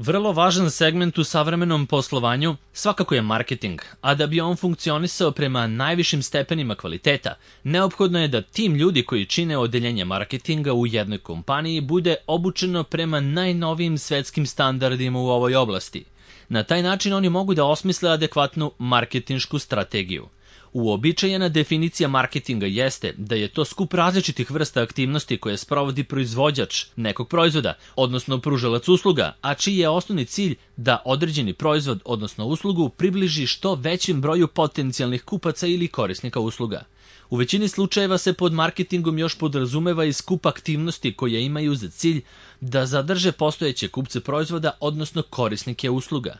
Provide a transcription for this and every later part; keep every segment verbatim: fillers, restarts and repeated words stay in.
Vrlo važan segment u savremenom poslovanju svakako je marketing, a da bi on funkcionisao prema najvišim stepenima kvaliteta, neophodno je da tim ljudi koji čine odeljenje marketinga u jednoj kompaniji bude obučeno prema najnovijim svetskim standardima u ovoj oblasti. Na taj način oni mogu da osmisle adekvatnu marketinšku strategiju. Uobičajena definicija marketinga jeste da je to skup različitih vrsta aktivnosti koje sprovodi proizvođač nekog proizvoda, odnosno pružalac usluga, a čiji je osnovni cilj da određeni proizvod, odnosno uslugu, približi što većem broju potencijalnih kupaca ili korisnika usluga. U većini slučajeva se pod marketingom još podrazumeva i skup aktivnosti koje imaju za cilj da zadrže postojeće kupce proizvoda, odnosno korisnike usluga.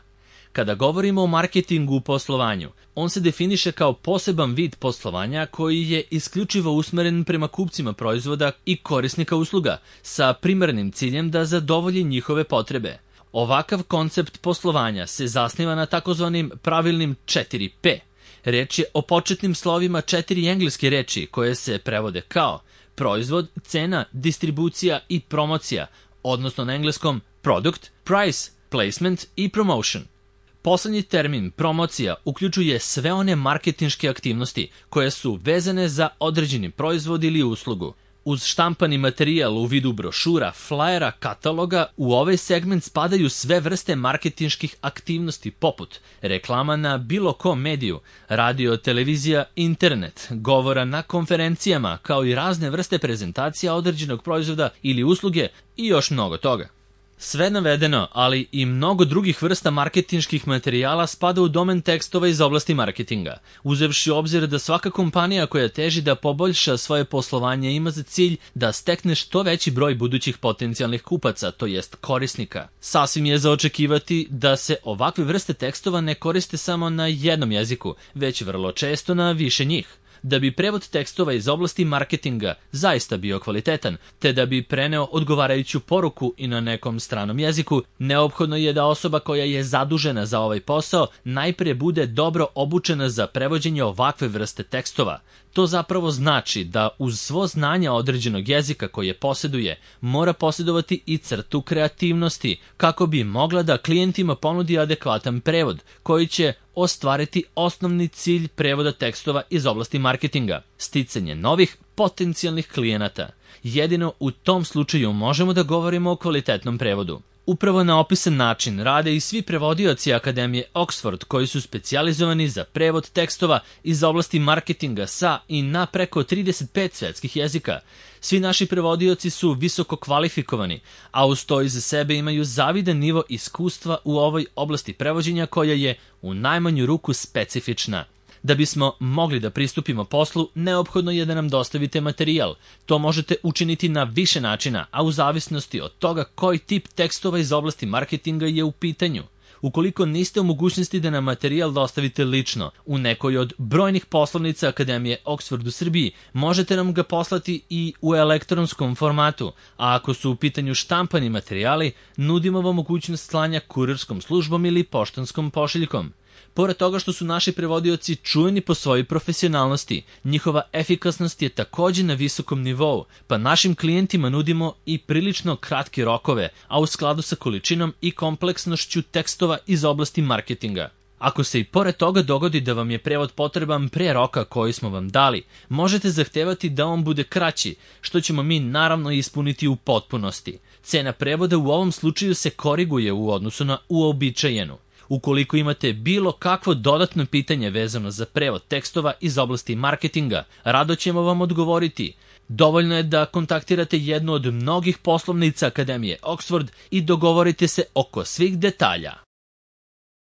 Kada govorimo o marketingu u poslovanju, on se definiše kao poseban vid poslovanja koji je isključivo usmeren prema kupcima proizvoda i korisnika usluga, sa primarnim ciljem da zadovolji njihove potrebe. Ovakav koncept poslovanja se zasniva na takozvanim pravilnim četiri P. Reč je o početnim slovima četiri engleske reči koje se prevode kao proizvod, cena, distribucija i promocija, odnosno na engleskom product, price, placement i promotion. Poslednji termin, promocija, uključuje sve one marketinške aktivnosti koje su vezane za određeni proizvod ili uslugu. Uz štampani materijal u vidu brošura, flajera, kataloga, u ovaj segment spadaju sve vrste marketinških aktivnosti poput reklama na bilo kom mediju, radio, televizija, internet, govora na konferencijama, kao i razne vrste prezentacija određenog proizvoda ili usluge i još mnogo toga. Sve navedeno, ali i mnogo drugih vrsta marketinških materijala spada u domen tekstova iz oblasti marketinga, uzevši u obzir da svaka kompanija koja teži da poboljša svoje poslovanje ima za cilj da stekne što veći broj budućih potencijalnih kupaca, to jest korisnika. Sasvim je za očekivati da se ovakve vrste tekstova ne koriste samo na jednom jeziku, već vrlo često na više njih. Da bi prevod tekstova iz oblasti marketinga zaista bio kvalitetan, te da bi preneo odgovarajuću poruku i na nekom stranom jeziku, neophodno je da osoba koja je zadužena za ovaj posao najprije bude dobro obučena za prevođenje ovakve vrste tekstova. To zapravo znači da uz svo znanje određenog jezika koje posjeduje, mora posjedovati i crtu kreativnosti, kako bi mogla da klijentima ponudi adekvatan prevod, koji će ostvariti osnovni cilj prevoda tekstova iz oblasti marketinga, sticanje novih potencijalnih klijenata. Jedino u tom slučaju možemo da govorimo o kvalitetnom prevodu. Upravo na opisan način rade i svi prevodioci Akademije Oxford koji su specijalizovani za prevod tekstova iz oblasti marketinga sa i na preko trideset pet svetskih jezika. Svi naši prevodioci su visoko kvalifikovani, a uz to iza sebe imaju zavidan nivo iskustva u ovoj oblasti prevođenja koja je u najmanju ruku specifična. Da bismo mogli da pristupimo poslu, neophodno je da nam dostavite materijal. To možete učiniti na više načina, a u zavisnosti od toga koji tip tekstova iz oblasti marketinga je u pitanju. Ukoliko niste u mogućnosti da nam materijal dostavite lično u nekoj od brojnih poslovnica Akademije Oxford u Srbiji, možete nam ga poslati i u elektronskom formatu, a ako su u pitanju štampani materijali, nudimo vam mogućnost slanja kurirskom službom ili poštanskom pošiljkom. Pored toga što su naši prevodioci čujeni po svojoj profesionalnosti, njihova efikasnost je također na visokom nivou, pa našim klijentima nudimo i prilično kratke rokove, a u skladu sa količinom i kompleksnošću tekstova iz oblasti marketinga. Ako se i pored toga dogodi da vam je prevod potreban pre roka koji smo vam dali, možete zahtevati da on bude kraći, što ćemo mi naravno ispuniti u potpunosti. Cena prevoda u ovom slučaju se koriguje u odnosu na uobičajenu. Ukoliko imate bilo kakvo dodatno pitanje vezano za prevod tekstova iz oblasti marketinga, rado ćemo vam odgovoriti. Dovoljno je da kontaktirate jednu od mnogih poslovnica Akademije Oxford i dogovorite se oko svih detalja.